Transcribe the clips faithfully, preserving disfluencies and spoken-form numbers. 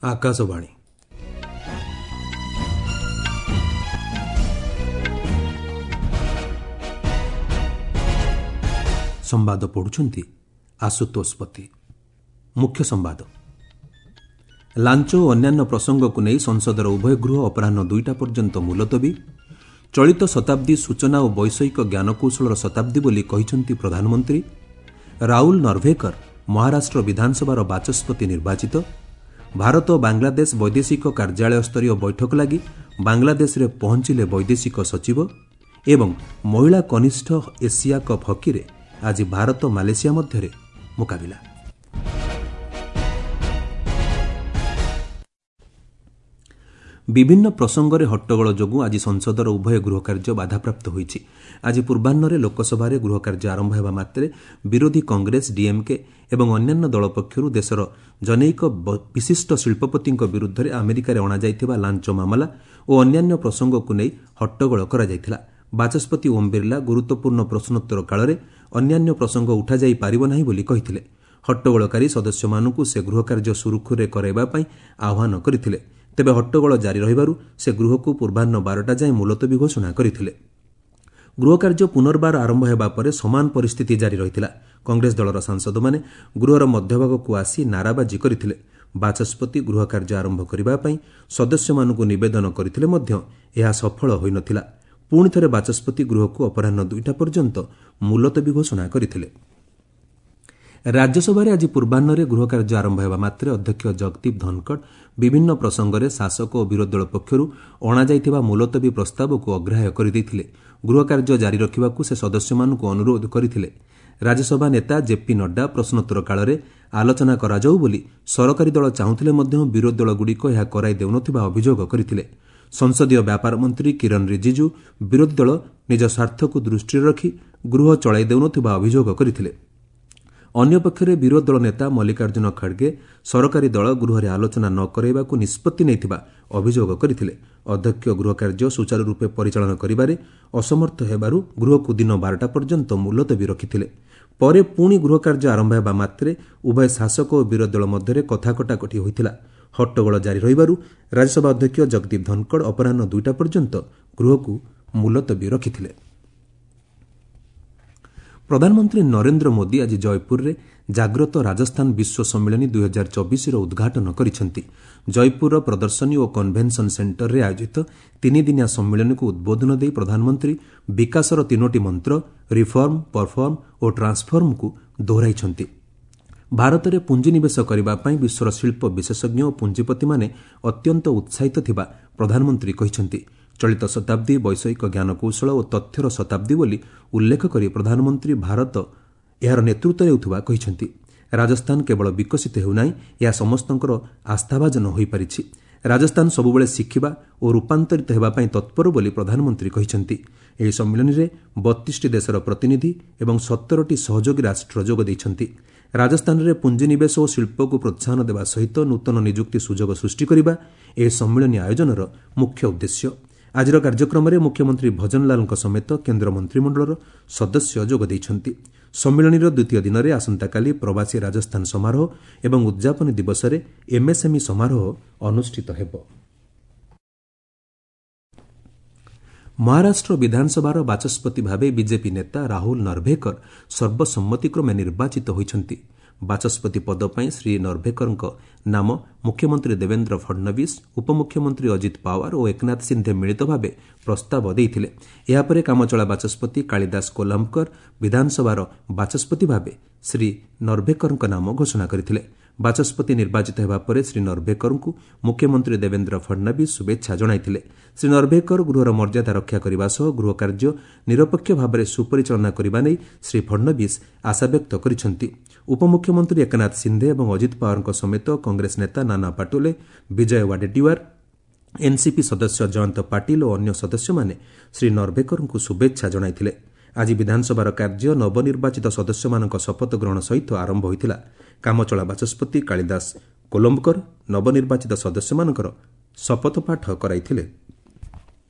ଆକାଶବାଣୀ। ସମ୍ବାଦ ପଢ଼ୁଛନ୍ତି ଆଶୁତୋଷ ପତି। ମୁଖ୍ୟ ସମ୍ବାଦ। ଲାଞ୍ଚ ଓ ଅନ୍ୟାନ୍ୟ ପ୍ରସଙ୍ଗକୁ ନେଇ ସଂସଦର ଉଭୟ ଗୃହ ଅପରାହ୍ନ ଦୁଇଟା ପର୍ଯ୍ୟନ୍ତ ମୁଲତବୀ। ଚଳିତ ଶତାବ୍ଦୀ ସୂଚନା ଓ ବୈଷୟିକ ଜ୍ଞାନକୌଶଳର ଶତାବ୍ଦୀ ବୋଲି କହିଛନ୍ତି ପ୍ରଧାନମନ୍ତ୍ରୀ। ରାହୁଲ ନର୍ଭେକର ମହାରାଷ୍ଟ୍ର ବିଧାନସଭାର ବାଚସ୍ପତି ନିର୍ବାଚିତ। ଭାରତ ଓ ବାଂଲାଦେଶ ବୈଦେଶିକ କାର୍ଯ୍ୟାଳୟ ସ୍ତରୀୟ ବୈଠକ ଲାଗି ବାଂଲାଦେଶରେ ପହଞ୍ଚିଲେ ବୈଦେଶିକ ସଚିବ। ଏବଂ ମହିଳା କନିଷ୍ଠ ଏସିଆ କପ୍ ହକିରେ ଆଜି ଭାରତ ମାଲେସିଆ ମଧ୍ୟରେ ମୁକାବିଲା। ବିଭିନ୍ନ ପ୍ରସଙ୍ଗରେ ହଟ୍ଟଗୋଳ ଯୋଗୁଁ ଆଜି ସଂସଦର ଉଭୟ ଗୃହ କାର୍ଯ୍ୟ ବାଧାପ୍ରାପ୍ତ ହୋଇଛି। ଆଜି ପୂର୍ବାହ୍ନରେ ଲୋକସଭାରେ ଗୃହ କାର୍ଯ୍ୟ ଆରମ୍ଭ ହେବା ମାତ୍ରେ ବିରୋଧୀ କଂଗ୍ରେସ, ଡିଏମ୍କେ ଏବଂ ଅନ୍ୟାନ୍ୟ ଦଳ ପକ୍ଷରୁ ଦେଶର ଜନୈକ ବିଶିଷ୍ଟ ଶିଳ୍ପପତିଙ୍କ ବିରୁଦ୍ଧରେ ଆମେରିକାରେ ଅଣାଯାଇଥିବା ଲାଞ୍ଚ ମାମଲା ଓ ଅନ୍ୟାନ୍ୟ ପ୍ରସଙ୍ଗକୁ ନେଇ ହଟ୍ଟଗୋଳ କରାଯାଇଥିଲା। ବାଚସ୍ପତି ଓମ୍ ବିର୍ଲା ଗୁରୁତ୍ୱପୂର୍ଣ୍ଣ ପ୍ରଶ୍ନୋତ୍ତର କାଳରେ ଅନ୍ୟାନ୍ୟ ପ୍ରସଙ୍ଗ ଉଠାଯାଇ ପାରିବ ନାହିଁ ବୋଲି କହିଥିଲେ। ହଟ୍ଟଗୋଳକାରୀ ସଦସ୍ୟମାନଙ୍କୁ ସେ ଗୃହକାର୍ଯ୍ୟ ସୁରୁଖୁରୁରେ କରାଇବା ପାଇଁ ଆହ୍ୱାନ କରିଥିଲେ। ତେବେ ହଟ୍ଟଗୋଳ ଜାରି ରହିବାରୁ ସେ ଗୃହକୁ ପୂର୍ବାହ୍ନ ବାରଟା ଯାଏଁ ମୁଲତବୀ ଘୋଷଣା କରିଥିଲେ। ଗୃହକାର୍ଯ୍ୟ ପୁନର୍ବାର ଆରମ୍ଭ ହେବା ପରେ ସମାନ ପରିସ୍ଥିତି ଜାରି ରହିଥିଲା। କଂଗ୍ରେସ ଦଳର ସାଂସଦମାନେ ଗୃହର ମଧ୍ୟଭାଗକୁ ଆସି ନାରାବାଜି କରିଥିଲେ। ବାଚସ୍ପତି ଗୃହକାର୍ଯ୍ୟ ଆରମ୍ଭ କରିବା ପାଇଁ ସଦସ୍ୟମାନଙ୍କୁ ନିବେଦନ କରିଥିଲେ ମଧ୍ୟ ଏହା ସଫଳ ହୋଇନଥିଲା। ପୁଣି ଥରେ ବାଚସ୍ପତି ଗୃହକୁ ଅପରାହ୍ନ ଦୁଇଟା ପର୍ଯ୍ୟନ୍ତ ମୁଲତବୀ ଘୋଷଣା କରିଥିଲେ। ରାଜ୍ୟସଭାରେ ଆଜି ପୂର୍ବାହ୍ନରେ ଗୃହକାର୍ଯ୍ୟ ଆରମ୍ଭ ହେବା ମାତ୍ରେ ଅଧ୍ୟକ୍ଷ ଜଗଦୀପ ଧନଖଡ଼ ବିଭିନ୍ନ ପ୍ରସଙ୍ଗରେ ଶାସକ ଓ ବିରୋଧୀ ଦଳ ପକ୍ଷରୁ ଅଣାଯାଇଥିବା ମୁଲତବୀ ପ୍ରସ୍ତାବକୁ ଅଗ୍ରାହ୍ୟ କରିଦେଇଥିଲେ। ଗୃହକାର୍ଯ୍ୟ ଜାରି ରଖିବାକୁ ସେ ସଦସ୍ୟମାନଙ୍କୁ ଅନୁରୋଧ କରିଥିଲେ। ରାଜ୍ୟସଭା ନେତା ଜେପି ନଡ୍ଡା ପ୍ରଶ୍ନୋତ୍ତର କାଳରେ ଆଲୋଚନା କରାଯାଉ ବୋଲି ସରକାରୀ ଦଳ ଚାହୁଁଥିଲେ ମଧ୍ୟ ବିରୋଧୀ ଦଳଗୁଡ଼ିକ ଏହା କରାଇ ଦେଉନଥିବା ଅଭିଯୋଗ କରିଥିଲେ। ସଂସଦୀୟ ବ୍ୟାପାର ମନ୍ତ୍ରୀ କିରଣ ରିଜିଜୁ ବିରୋଧୀ ଦଳ ନିଜ ସ୍ୱାର୍ଥକୁ ଦୃଷ୍ଟିରେ ରଖି ଗୃହ ଚଳାଇ ଦେଉନଥିବା ଅଭିଯୋଗ କରିଥିଲେ। ଅନ୍ୟପକ୍ଷରେ ବିରୋଧୀ ଦଳ ନେତା ମଲ୍ଲିକାର୍ଜୁନ ଖଡ୍ଗେ ସରକାରୀ ଦଳ ଗୃହରେ ଆଲୋଚନା ନ କରାଇବାକୁ ନିଷ୍ପତ୍ତି ନେଇଥିବା ଅଭିଯୋଗ କରିଥିଲେ। ଅଧ୍ୟକ୍ଷ ଗୃହକାର୍ଯ୍ୟ ସୁଚାରୁରୂପେ ପରିଚାଳନା କରିବାରେ ଅସମର୍ଥ ହେବାରୁ ଗୃହକୁ ଦିନ ବାରଟା ପର୍ଯ୍ୟନ୍ତ ମୁଲତବୀ ରଖିଥିଲେ। ପରେ ପୁଣି ଗୃହକାର୍ଯ୍ୟ ଆରମ୍ଭ ହେବା ମାତ୍ରେ ଉଭୟ ଶାସକ ଓ ବିରୋଧୀ ଦଳ ମଧ୍ୟରେ କଥା କଟାକଟି ହୋଇଥିଲା। ହଟ୍ଟଗୋଳ ଜାରି ରହିବାରୁ ରାଜ୍ୟସଭା ଅଧ୍ୟକ୍ଷ ଜଗଦୀପ ଧନଖଡ଼ ଅପରାହ୍ନ ଦୁଇଟା ପର୍ଯ୍ୟନ୍ତ ଗୃହକୁ ମୁଲତବୀ ରଖିଥିଲେ। ପ୍ରଧାନମନ୍ତ୍ରୀ ନରେନ୍ଦ୍ର ମୋଦି ଆଜି ଜୟପୁରରେ ଜାଗ୍ରତ ରାଜସ୍ଥାନ ବିଶ୍ୱ ସମ୍ମିଳନୀ ଦୁଇହଜାର ଚବିଶର ଉଦ୍ଘାଟନ କରିଛନ୍ତି। ଜୟପୁରର ପ୍ରଦର୍ଶନୀ ଓ କନଭେନସନ୍ ସେଣ୍ଟରରେ ଆୟୋଜିତ ତିନିଦିନିଆ ସମ୍ମିଳନୀକୁ ଉଦ୍ବୋଧନ ଦେଇ ପ୍ରଧାନମନ୍ତ୍ରୀ ବିକାଶର ତିନୋଟି ମନ୍ତ୍ର ରିଫର୍ମ, ପରଫର୍ମ ଓ ଟ୍ରାନ୍ସଫର୍ମକୁ ଦୋହରାଇଛନ୍ତି। ଭାରତରେ ପୁଞ୍ଜିନିବେଶ କରିବା ପାଇଁ ବିଶ୍ୱର ଶିଳ୍ପ ବିଶେଷଜ୍ଞ ଓ ପୁଞ୍ଜିପତିମାନେ ଅତ୍ୟନ୍ତ ଉତ୍ସାହିତ ଥିବା ପ୍ରଧାନମନ୍ତ୍ରୀ କହିଛନ୍ତି। ଚଳିତ ଶତାବ୍ଦୀ ବୈଷୟିକ ଜ୍ଞାନକୌଶଳ ଓ ତଥ୍ୟର ଶତାବ୍ଦୀ ବୋଲି ଉଲ୍ଲେଖ କରି ପ୍ରଧାନମନ୍ତ୍ରୀ ଭାରତ ଏହାର ନେତୃତ୍ୱ ନେଉଥିବା କହିଛନ୍ତି। ରାଜସ୍ଥାନ କେବଳ ବିକଶିତ ହେଉନାହିଁ, ଏହା ସମସ୍ତଙ୍କର ଆସ୍ଥାଭାଜନ ହୋଇପାରିଛି। ରାଜସ୍ଥାନ ସବୁବେଳେ ଶିଖିବା ଓ ରୂପାନ୍ତରିତ ହେବା ପାଇଁ ତତ୍ପର ବୋଲି ପ୍ରଧାନମନ୍ତ୍ରୀ କହିଛନ୍ତି। ଏହି ସମ୍ମିଳନୀରେ ବତିଶଟି ଦେଶର ପ୍ରତିନିଧି ଏବଂ ସତରଟି ସହଯୋଗୀ ରାଷ୍ଟ୍ର ଯୋଗ ଦେଇଛନ୍ତି। ରାଜସ୍ଥାନରେ ପୁଞ୍ଜିନିବେଶ ଓ ଶିଳ୍ପକୁ ପ୍ରୋତ୍ସାହନ ଦେବା ସହିତ ନୂତନ ନିଯୁକ୍ତି ସୁଯୋଗ ସୃଷ୍ଟି କରିବା ଏହି ସମ୍ମିଳନୀ ଆୟୋଜନର ମୁଖ୍ୟ ଉଦ୍ଦେଶ୍ୟ। ଆଜିର କାର୍ଯ୍ୟକ୍ରମରେ ମୁଖ୍ୟମନ୍ତ୍ରୀ ଭଜନଲାଲଙ୍କ ସମେତ କେନ୍ଦ୍ର ମନ୍ତ୍ରିମଣ୍ଡଳର ସଦସ୍ୟ ଯୋଗ ଦେଇଛନ୍ତି। ସମ୍ମିଳନୀର ଦ୍ୱିତୀୟ ଦିନରେ ଆସନ୍ତାକାଲି ପ୍ରବାସୀ ରାଜସ୍ଥାନ ସମାରୋହ ଏବଂ ଉଦ୍ଯାପନୀ ଦିବସରେ ଏମ୍ଏସ୍ଏମ୍ଇ ସମାରୋହ ଅନୁଷ୍ଠିତ ହେବ। ମହାରାଷ୍ଟ୍ର ବିଧାନସଭାର ବାଚସ୍ପତି ଭାବେ ବିଜେପି ନେତା ରାହୁଲ ନର୍ଭେକର ସର୍ବସମ୍ମତିକ୍ରମେ ନିର୍ବାଚିତ ହୋଇଛନ୍ତି। ବାଚସ୍ପତି ପଦ ପାଇଁ ଶ୍ରୀ ନର୍ଭେକରଙ୍କ ନାମ ମୁଖ୍ୟମନ୍ତ୍ରୀ ଦେବେନ୍ଦ୍ର ଫଡ୍ନବୀସ, ଉପମୁଖ୍ୟମନ୍ତ୍ରୀ ଅଜିତ ପାୱାର ଓ ଏକନାଥ ସିନ୍ଧେ ମିଳିତ ଭାବେ ପ୍ରସ୍ତାବ ଦେଇଥିଲେ। ଏହାପରେ କାମଚଳା ବାଚସ୍ପତି କାଳିଦାସ କୋଲାମ୍ବକର ବିଧାନସଭାର ବାଚସ୍ପତି ଭାବେ ଶ୍ରୀ ନର୍ଭେକରଙ୍କ ନାମ ଘୋଷଣା କରିଥିଲେ। ବାଚସ୍ପତି ନିର୍ବାଚିତ ହେବା ପରେ ଶ୍ରୀ ନର୍ଭେକରଙ୍କୁ ମୁଖ୍ୟମନ୍ତ୍ରୀ ଦେବେନ୍ଦ୍ର ଫଡ୍ନବୀସ ଶୁଭେଚ୍ଛା ଜଣାଇଥିଲେ। ଶ୍ରୀ ନର୍ଭେକର ଗୃହର ମର୍ଯ୍ୟାଦା ରକ୍ଷା କରିବା ସହ ଗୃହ କାର୍ଯ୍ୟ ନିରପେକ୍ଷ ଭାବରେ ସୁପରିଚାଳନା କରିବା ନେଇ ଶ୍ରୀ ଫଡ୍ନବୀସ ଆଶାବ୍ୟକ୍ତ କରିଛନ୍ତି। ଉପମୁଖ୍ୟମନ୍ତ୍ରୀ ଏକନାଥ ସିନ୍ଧେ ଏବଂ ଅଜିତ ପାୱାରଙ୍କ ସମେତ କଂଗ୍ରେସ ନେତା ନାନା ପାଟୋଲେ, ବିଜୟ ୱାଡେଟିୱାର, ଏନ୍ସିପି ସଦସ୍ୟ ଜୟନ୍ତ ପାଟିଲ ଓ ଅନ୍ୟ ସଦସ୍ୟମାନେ ଶ୍ରୀ ନର୍ଭେକରଙ୍କୁ ଶୁଭେଚ୍ଛା ଜଣାଇଥିଲେ। ଆଜି ବିଧାନସଭାର କାର୍ଯ୍ୟ ନବନିର୍ବାଚିତ ସଦସ୍ୟମାନଙ୍କ ଶପଥ ଗ୍ରହଣ ସହିତ ଆରମ୍ଭ ହୋଇଥିଲା। କାମଚଳା ବାଚସ୍ପତି କାଳିଦାସ କୋଲମ୍ବକର ନବନିର୍ବାଚିତ ସଦସ୍ୟମାନଙ୍କର ଶପଥପାଠ କରାଇଥିଲେ।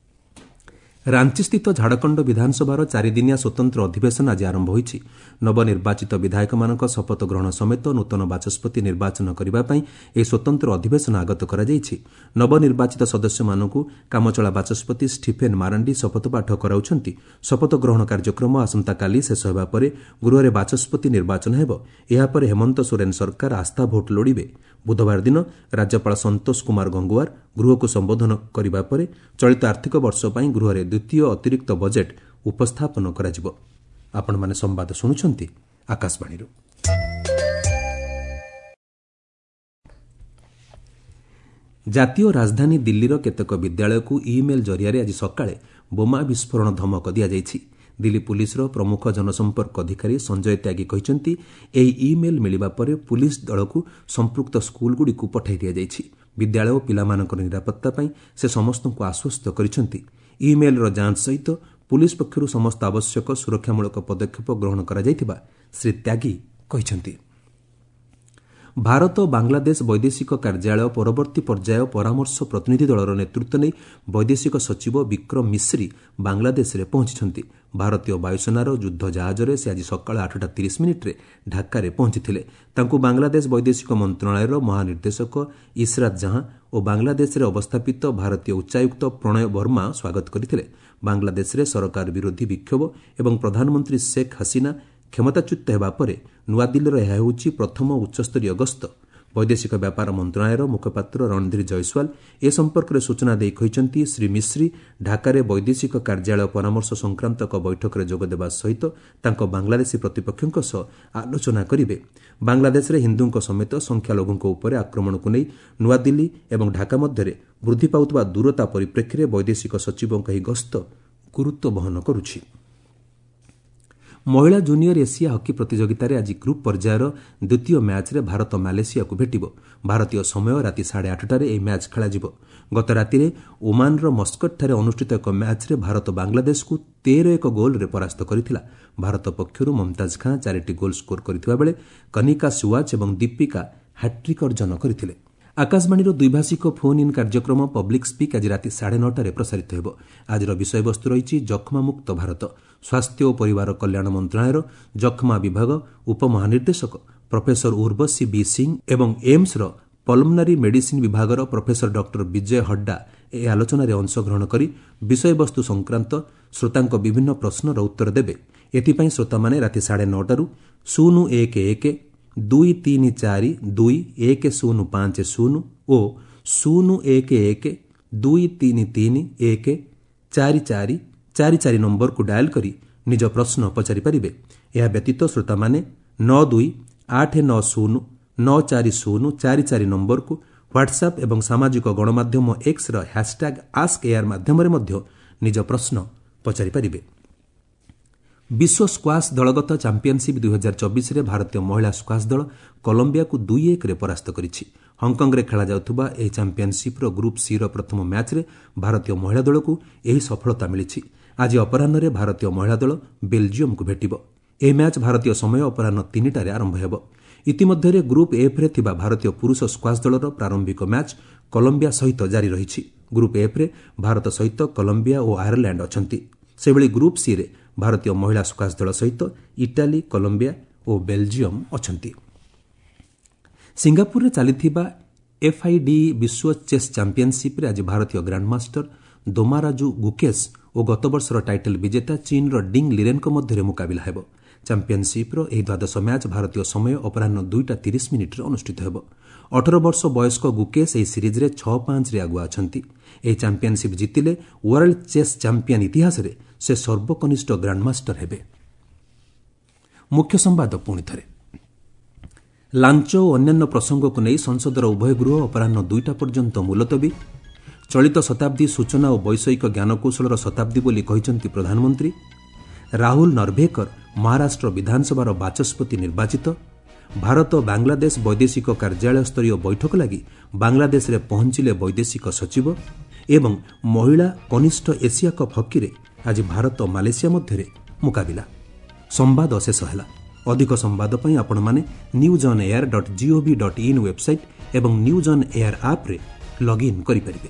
ରାଞ୍ଚିସ୍ଥିତ ଝାଡ଼ଖଣ୍ଡ ବିଧାନସଭାର ଚାରିଦିନିଆ ସ୍ୱତନ୍ତ୍ର ଅଧିବେଶନ ଆଜି ଆରମ୍ଭ ହୋଇଛି। ନବନିର୍ବାଚିତ ବିଧାୟକମାନଙ୍କ ଶପଥ ଗ୍ରହଣ ସମେତ ନୂତନ ବାଚସ୍ପତି ନିର୍ବାଚନ କରିବା ପାଇଁ ଏହି ସ୍ୱତନ୍ତ୍ର ଅଧିବେଶନ ଆଗତ କରାଯାଇଛି। ନବନିର୍ବାଚିତ ସଦସ୍ୟମାନଙ୍କୁ କାମଚଳା ବାଚସ୍ପତି ଷ୍ଟିଫେନ୍ ମାରାଣ୍ଡି ଶପଥପାଠ କରାଉଛନ୍ତି। ଶପଥ ଗ୍ରହଣ କାର୍ଯ୍ୟକ୍ରମ ଆସନ୍ତାକାଲି ଶେଷ ହେବା ପରେ ଗୃହରେ ବାଚସ୍ପତି ନିର୍ବାଚନ ହେବ। ଏହାପରେ ହେମନ୍ତ ସୋରେନ୍ ସରକାର ଆସ୍ଥା ଭୋଟ୍ ଲୋଡ଼ିବେ। ବୁଧବାର ଦିନ ରାଜ୍ୟପାଳ ସନ୍ତୋଷ କୁମାର ଗଙ୍ଗୁଆର ଗୃହକୁ ସମ୍ବୋଧନ କରିବା ପରେ ଚଳିତ ଆର୍ଥିକ ବର୍ଷ ପାଇଁ ଗୃହରେ ଦ୍ୱିତୀୟ ଅତିରିକ୍ତ ବଜେଟ୍ ଉପସ୍ଥାପନ କରାଯିବ। ଆପଣମାନେ ସମ୍ବାଦ ଶୁଣୁଛନ୍ତି ଆକାଶବାଣୀରୁ। ଜାତୀୟ ରାଜଧାନୀ ଦିଲ୍ଲୀର କେତେକ ବିଦ୍ୟାଳୟକୁ ଇମେଲ୍ ଜରିଆରେ ଆଜି ସକାଳେ ବୋମା ବିସ୍ଫୋରଣ ଧମକ ଦିଆଯାଇଛି। ଦିଲ୍ଲୀ ପୁଲିସର ପ୍ରମୁଖ ଜନସମ୍ପର୍କ ଅଧିକାରୀ ସଞ୍ଜୟ ତ୍ୟାଗୀ କହିଛନ୍ତି, ଏହି ଇମେଲ୍ ମିଳିବା ପରେ ପୁଲିସ ଦଳକୁ ସମ୍ପୃକ୍ତ ସ୍କୁଲଗୁଡ଼ିକୁ ପଠାଇ ଦିଆଯାଇଛି। ବିଦ୍ୟାଳୟ ଓ ପିଲାମାନଙ୍କର ନିରାପତ୍ତା ପାଇଁ ସେ ସମସ୍ତଙ୍କୁ ଆଶ୍ୱସ୍ତ କରିଛନ୍ତି। ଇମେଲ୍ର ଯାଞ୍ଚ ସହିତ ପୁଲିସ ପକ୍ଷରୁ ସମସ୍ତ ଆବଶ୍ୟକ ସୁରକ୍ଷାମୂଳକ ପଦକ୍ଷେପ ଗ୍ରହଣ କରାଯାଇଥିବା ଶ୍ରୀ ତ୍ୟାଗୀ କହିଛନ୍ତି। ଭାରତ ବାଂଲାଦେଶ ବୈଦେଶିକ କାର୍ଯ୍ୟାଳୟ ପରବର୍ତ୍ତୀ ପର୍ଯ୍ୟାୟ ପରାମର୍ଶ ପ୍ରତିନିଧି ଦଳର ନେତୃତ୍ୱ ନେଇ ବୈଦେଶିକ ସଚିବ ବିକ୍ରମ ମିଶ୍ରି ବାଂଲାଦେଶରେ ପହଞ୍ଚିଛନ୍ତି। ଭାରତୀୟ ବାୟୁସେନାର ଯୁଦ୍ଧ ଜାହାଜରେ ସେ ଆଜି ସକାଳ ଆଠଟା ତିରିଶ ମିନିଟ୍ରେ ଢାକାରେ ପହଞ୍ଚିଥିଲେ। ତାଙ୍କୁ ବାଂଲାଦେଶ ବୈଦେଶିକ ମନ୍ତ୍ରଣାଳୟର ମହାନିର୍ଦ୍ଦେଶକ ଇସ୍ରାତ ଜାହାଁ ଓ ବାଂଲାଦେଶରେ ଅବସ୍ଥାପିତ ଭାରତୀୟ ଉଚ୍ଚାୟୁକ୍ତ ପ୍ରଣୟ ବର୍ମା ସ୍ୱାଗତ କରିଥିଲେ। ବାଂଲାଦେଶରେ ସରକାର ବିରୋଧୀ ବିକ୍ଷୋଭ ଏବଂ ପ୍ରଧାନମନ୍ତ୍ରୀ ଶେଖ୍ ହସିନା କ୍ଷମତାଚ୍ୟୁତ ହେବା ପରେ ନୂଆଦିଲ୍ଲୀର ଏହା ହେଉଛି ପ୍ରଥମ ଉଚ୍ଚସ୍ତରୀୟ ଗସ୍ତ। ବୈଦେଶିକ ବ୍ୟାପାର ମନ୍ତ୍ରଣାଳୟର ମୁଖପାତ୍ର ରଣଧୀର ଜୟସ୍ୱାଲ ଏ ସମ୍ପର୍କରେ ସୂଚନା ଦେଇ କହିଛନ୍ତି, ଶ୍ରୀ ମିଶ୍ରି ଢାକାରେ ବୈଦେଶିକ କାର୍ଯ୍ୟାଳୟ ପରାମର୍ଶ ସଂକ୍ରାନ୍ତ ଏକ ବୈଠକରେ ଯୋଗଦେବା ସହିତ ତାଙ୍କ ବାଂଲାଦେଶୀ ପ୍ରତିପକ୍ଷଙ୍କ ସହ ଆଲୋଚନା କରିବେ। ବାଂଲାଦେଶରେ ହିନ୍ଦୁଙ୍କ ସମେତ ସଂଖ୍ୟାଲଘୁଙ୍କ ଉପରେ ଆକ୍ରମଣକୁ ନେଇ ନୂଆଦିଲ୍ଲୀ ଏବଂ ଢାକା ମଧ୍ୟରେ ବୃଦ୍ଧି ପାଉଥିବା ଦୂରତା ପରିପ୍ରେକ୍ଷୀରେ ବୈଦେଶିକ ସଚିବଙ୍କ ଏହି ଗସ୍ତ ଗୁରୁତ୍ୱ ବହନ କରୁଛି। ମହିଳା ଜୁନିୟର ଏସିଆ ହକି ପ୍ରତିଯୋଗିତାରେ ଆଜି ଗ୍ରୁପ୍ ପର୍ଯ୍ୟାୟର ଦ୍ୱିତୀୟ ମ୍ୟାଚ୍ରେ ଭାରତ ମାଲେସିଆକୁ ଭେଟିବ। ଭାରତୀୟ ସମୟ ରାତି ସାଢ଼େ ଆଠଟାରେ ଏହି ମ୍ୟାଚ୍ ଖେଳାଯିବ। ଗତ ରାତିରେ ଓମାନର ମସ୍କଟଠାରେ ଅନୁଷ୍ଠିତ ଏକ ମ୍ୟାଚ୍ରେ ଭାରତ ବାଂଲାଦେଶକୁ ତେର ଏକ ଗୋଲ୍ରେ ପରାସ୍ତ କରିଥିଲା। ଭାରତ ପକ୍ଷରୁ ମମତାଜ ଖାଁ ଚାରିଟି ଗୋଲ୍ ସ୍କୋର କରିଥିବା ବେଳେ କନିକା ସୁୱାଚ୍ ଏବଂ ଦୀପିକା ହ୍ୟାଟ୍ରିକ୍ ଅର୍ଜନ କରିଥିଲେ। ଆକାଶବାଣୀର ଦ୍ୱିଭାଷିକ ଫୋନ୍ ଇନ୍ କାର୍ଯ୍ୟକ୍ରମ ପବ୍ଲିକ୍ ସ୍ପିକ୍ ଆଜି ରାତି ସାଢ଼େ ନଅଟାରେ ପ୍ରସାରିତ ହେବ। ଆଜିର ବିଷୟବସ୍ତୁ ରହିଛି ଯକ୍ଷ୍ମାମୁକ୍ତ ଭାରତ। ସ୍ୱାସ୍ଥ୍ୟ ଓ ପରିବାର କଲ୍ୟାଣ ମନ୍ତ୍ରଣାଳୟର ଯକ୍ଷ୍ମା ବିଭାଗ ଉପମହାନିର୍ଦ୍ଦେଶକ ପ୍ରଫେସର ଉର୍ବଶୀ ବି ସିଂ ଏବଂ ଏମ୍ସର ପଲମନାରୀ ମେଡିସିନ୍ ବିଭାଗର ପ୍ରଫେସର ଡକ୍ଟର ବିଜୟ ହଡ୍ଡା ଏହି ଆଲୋଚନାରେ ଅଂଶଗ୍ରହଣ କରି ବିଷୟବସ୍ତୁ ସଂକ୍ରାନ୍ତ ଶ୍ରୋତାଙ୍କ ବିଭିନ୍ନ ପ୍ରଶ୍ନର ଉତ୍ତର ଦେବେ। ଏଥିପାଇଁ ଶ୍ରୋତାମାନେ ରାତି ସାଢ଼େ ନଅଟାରୁ ଶୂନ ଏକ ଏକ ଦୁଇ ତିନି ଚାରି ଦୁଇ ଏକ ଶୂନ ପାଞ୍ଚ ଶୂନ ଓ ଶୂନ ଏକ ଏକ ଦୁଇ ତିନି ତିନି ଏକ ଚାରି ଚାରି ଚାରି ଚାରି ନମ୍ବରକୁ ଡାଏଲ୍ କରି ନିଜ ପ୍ରଶ୍ନ ପଚାରିପାରିବେ। ଏହା ବ୍ୟତୀତ ଶ୍ରୋତାମାନେ ନଅ ଦୁଇ ଆଠ ନଅ ଶୂନ ନଅ ଚାରି ଶୂନ ଚାରି ଚାରି ନମ୍ବରକୁ ହ୍ୱାଟ୍ସଆପ୍ ଏବଂ ସାମାଜିକ ଗଣମାଧ୍ୟମ ଏକ୍ସର ହ୍ୟାସ୍ଟ୍ୟାଗ୍ ଆସ୍କ ଏୟାର ମାଧ୍ୟମରେ ମଧ୍ୟ ନିଜ ପ୍ରଶ୍ନ ପଚାରିପାରିବେ। ବିଶ୍ୱ ସ୍କ୍ୱାସ୍ ଦଳଗତ ଚାମ୍ପିୟନସିପ୍ ଦୁଇହଜାର ଚବିଶରେ ଭାରତୀୟ ମହିଳା ସ୍କ୍ୱାସ୍ ଦଳ କଲମ୍ବିଆକୁ ଦୁଇ ଏକରେ ପରାସ୍ତ କରିଛି। ହଂକଂରେ ଖେଳାଯାଉଥିବା ଏହି ଚାମ୍ପିୟନସିପ୍ର ଗ୍ରୁପ୍ ସିର ପ୍ରଥମ ମ୍ୟାଚ୍ରେ ଭାରତୀୟ ମହିଳା ଦଳକୁ ଏହି ସଫଳତା ମିଳିଛି। ଆଜି ଅପରାହ୍ନରେ ଭାରତୀୟ ମହିଳା ଦଳ ବେଲ୍ଜିୟମକୁ ଭେଟିବ। ଏହି ମ୍ୟାଚ୍ ଭାରତୀୟ ସମୟ ଅପରାହ୍ନ ତିନିଟାରେ ଆରମ୍ଭ ହେବ। ଇତିମଧ୍ୟରେ ଗ୍ରୁପ୍ ଏଫ୍ରେ ଥିବା ଭାରତୀୟ ପୁରୁଷ ସ୍କ୍ୱାସ୍ ଦଳର ପ୍ରାରମ୍ଭିକ ମ୍ୟାଚ୍ କଲମ୍ବିଆ ସହିତ ଜାରି ରହିଛି। ଗ୍ରୁପ୍ ଏଫ୍ରେ ଭାରତ ସହିତ କଲମ୍ବିଆ ଓ ଆୟାରଲ୍ୟାଣ୍ଡ ଅଛନ୍ତି। ସେହିଭଳି ଗ୍ରୁପ୍ ସିରେ ଭାରତୀୟ ମହିଳା ସ୍କ୍ୱାସ୍ ଦଳ ସହିତ ଇଟାଲୀ, କଲମ୍ବିଆ ଓ ବେଲ୍ଜିୟମ ଅଛନ୍ତି। ସିଙ୍ଗାପୁରରେ ଚାଲିଥିବା ଏଫ୍ଆଇଡିଇ ବିଶ୍ୱ ଚେସ୍ ଚାମ୍ପିୟନସିପ୍ରେ ଆଜି ଭାରତୀୟ ଗ୍ରାଣ୍ଡମାଷ୍ଟର ଦୋମାରାଜୁ ଗୁକେଶ ଓ ଗତବର୍ଷର ଟାଇଟଲ୍ ବିଜେତା ଚୀନ୍ର ଡିଙ୍ଗ୍ ଲିରେନ୍ଙ୍କ ମଧ୍ୟରେ ମୁକାବିଲା ହେବ। ଚାମ୍ପିୟନସିପ୍ର ଏହି ଦ୍ୱାଦଶ ମ୍ୟାଚ୍ ଭାରତୀୟ ସମୟ ଅପରାହ୍ନ ଦୁଇଟା ତିରିଶ ମିନିଟ୍ରେ ଅନୁଷ୍ଠିତ ହେବ। ଅଠର ବର୍ଷ ବୟସ୍କ ଗୁକେଶ ଏହି ସିରିଜ୍ରେ ଛଅ ପାଞ୍ଚରେ ଆଗୁଆ ଅଛନ୍ତି। ଏହି ଚାମ୍ପିୟନସିପ୍ ଜିତିଲେ ୱାର୍ଲଡ ଚେସ୍ ଚାମ୍ପିୟନ ଇତିହାସରେ ସେ ସର୍ବକନିଷ୍ଠ ଗ୍ରାଣ୍ଡମାଷ୍ଟର ହେବେ। ମୁଖ୍ୟ ସମ୍ବାଦ ପୁଣି ଥରେ। ଲାଞ୍ଚ ଓ ଅନ୍ୟାନ୍ୟ ପ୍ରସଙ୍ଗକୁ ନେଇ ସଂସଦର ଉଭୟ ଗୃହ ଅପରାହ୍ନ ଦୁଇଟା ପର୍ଯ୍ୟନ୍ତ ମୁଲତବୀ। ଚଳିତ ଶତାବ୍ଦୀ ସୂଚନା ଓ ବୈଷୟିକ ଜ୍ଞାନକୌଶଳର ଶତାବ୍ଦୀ ବୋଲି କହିଛନ୍ତି ପ୍ରଧାନମନ୍ତ୍ରୀ। ରାହୁଲ ନର୍ଭେକର ମହାରାଷ୍ଟ୍ର ବିଧାନସଭାର ବାଚସ୍ପତି ନିର୍ବାଚିତ। ଭାରତ ବାଂଲାଦେଶ ବୈଦେଶିକ କାର୍ଯ୍ୟାଳୟ ସ୍ତରୀୟ ବୈଠକ ଲାଗି ବାଂଲାଦେଶରେ ପହଞ୍ଚିଲେ ବୈଦେଶିକ ସଚିବ। ଏବଂ ମହିଳା କନିଷ୍ଠ ଏସିଆ କପ୍ ହକିରେ ଆଜି ଭାରତ ମାଲେସିଆ ମଧ୍ୟରେ ମୁକାବିଲା। ସମ୍ବାଦ ଶେଷ ହେଲା। ଅଧିକ ସମ୍ବାଦ ପାଇଁ ଆପଣମାନେ news on air dot gov dot in website ଏବଂ ନ୍ୟୁଜ୍ ଅନ୍ ଏୟାର ଆପ୍ରେ ଲଗ୍ଇନ୍ କରିପାରିବେ।